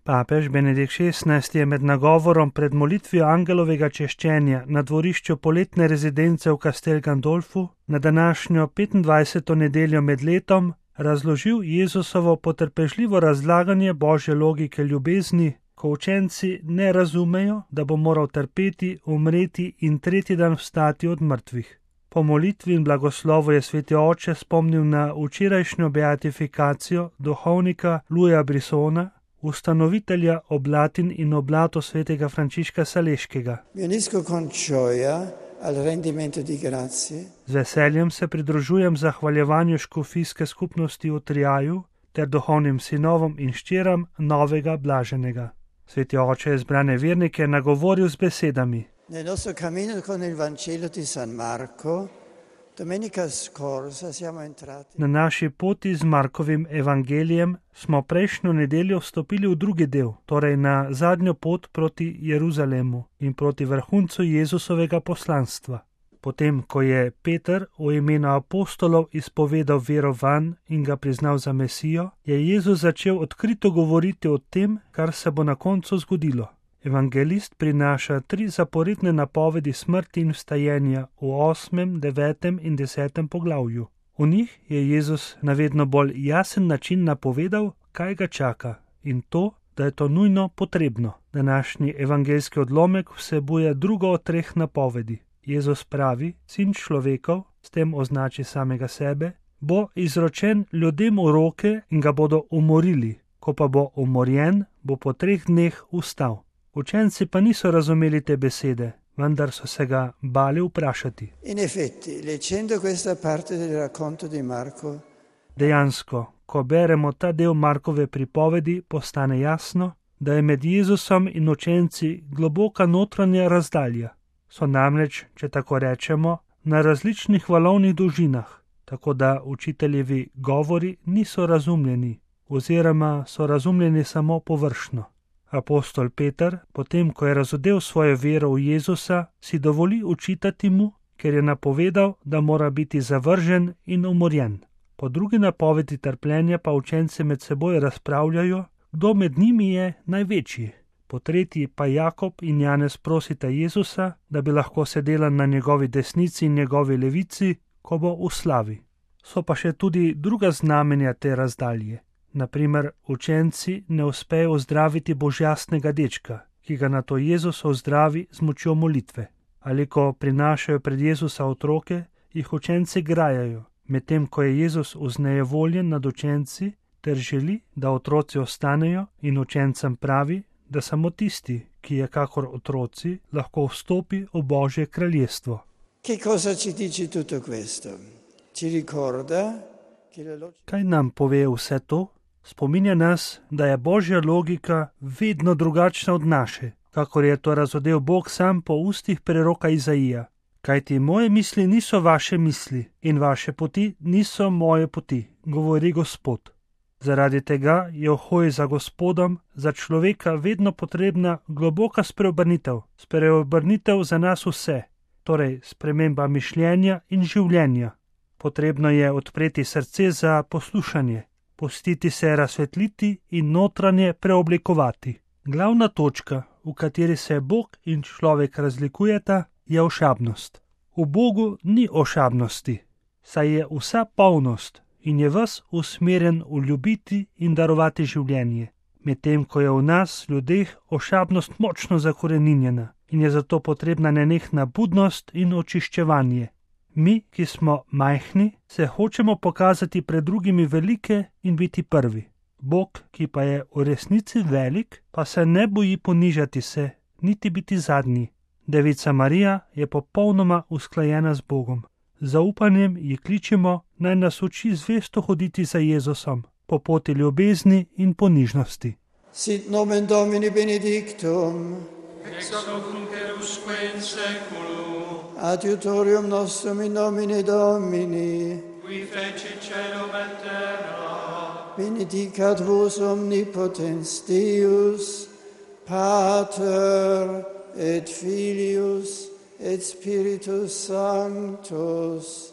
Papež Benedikt XVI je med nagovorom pred molitvijo angelovega češčenja na dvorišču poletne rezidence v Castel Gandolfu na današnjo 25. nedeljo med letom razložil Jezusovo potrpežljivo razlaganje božje logike ljubezni, ko učenci ne razumejo, da bo moral trpeti, umreti in tretji dan vstati od mrtvih. Po molitvi in blagoslovu je sveti oče spomnil na včerajšnjo beatifikacijo duhovnika Luja Brissona, ustanovitelja oblatin in oblato svetega Frančiška Saleškega. Z veseljem se pridružujem zahvaljevanju škofijske skupnosti v Triaju ter duhovnim sinovom in hčeram novega blaženega. Sveti oče je zbrane vernike nagovoril z besedami. Na naši poti z Markovim evangelijem smo prejšnjo nedeljo vstopili v drugi del, torej na zadnjo pot proti Jeruzalemu in proti vrhuncu Jezusovega poslanstva. Potem, ko je Peter v imenu apostolov izpovedal vero vanj in ga priznal za Mesijo, je Jezus začel odkrito govoriti o tem, kar se bo na koncu zgodilo. Evangelist prinaša 3 zaporedne napovedi smrti in vstajenja v 8., 9. in 10. poglavju. V njih je Jezus na vedno bolj jasen način napovedal, kaj ga čaka in to, da je to nujno potrebno. Današnji evangeljski odlomek vsebuje drugo od 3 napovedi. Jezus pravi, sin človekov, s tem označi samega sebe, bo izročen ljudem v roke in ga bodo umorili. Ko pa bo umorjen, bo po 3 dneh vstal. Učenci pa niso razumeli te besede, vendar so se ga bali vprašati. Dejansko, ko beremo ta del Markove pripovedi, postane jasno, da je med Jezusom in učenci globoka notranja razdalja. So namreč, če tako rečemo, na različnih valovnih dolžinah, tako da učiteljevi govori niso razumljeni, oziroma so razumljeni samo površno. Apostol Peter, potem ko je razodel svojo vero v Jezusa, si dovoli učitati mu, ker je napovedal, da mora biti zavržen in umorjen. Po drugi napovedi trpljenja pa učenci med seboj razpravljajo, kdo med njimi je največji. Po tretji pa Jakob in Janez prosita Jezusa, da bi lahko sedela na njegovi desnici in njegovi levici, ko bo v slavi. So pa še tudi druga znamenja te razdalje. Naprimer, učenci ne uspejo ozdraviti božjastnega dečka, ki ga nato Jezus ozdravi z močjo molitve. Ali ko prinašajo pred Jezusa otroke, jih učenci grajajo, medtem ko je Jezus vznejevoljen nad učenci ter želi, da otroci ostanejo in učencem pravi, da samo tisti, ki je kakor otroci, lahko vstopi v Božje kraljestvo. Kaj nam pove vse to? Spominja nas, da je Božja logika vedno drugačna od naše, kakor je to razodel Bog sam po ustih preroka Izaija. Kajti moje misli niso vaše misli in vaše poti niso moje poti, govori Gospod. Zaradi tega je v hoji za Gospodom za človeka vedno potrebna globoka spreobrnitev za nas vse, torej sprememba mišljenja in življenja. Potrebno je odpreti srce za poslušanje, pustiti se razsvetliti in notranje preoblikovati. Glavna točka, v kateri se Bog in človek razlikujeta, je ošabnost. V Bogu ni ošabnosti, saj je vsa polnost in je ves usmerjen v ljubiti in darovati življenje, medtem ko je v nas, ljudeh, ošabnost močno zakoreninjena in je zato potrebna nenehna budnost in očiščevanje. Mi, ki smo majhni, se hočemo pokazati pred drugimi velike in biti prvi. Bog, ki pa je v resnici velik, pa se ne boji ponižati se, niti biti zadnji. Devica Marija je popolnoma usklajena z Bogom. Z zaupanjem ji kličemo, naj nas uči zvesto hoditi za Jezusom, po poti ljubezni in ponižnosti. Sit nomen Domini benedictum, ex hoc nunc et usque in saeculum, adiutorium nostrum in nomine Domini, qui fecit caelum et terra, benedicat vos omnipotens Deus, Pater et Filius et Spiritus Sanctus,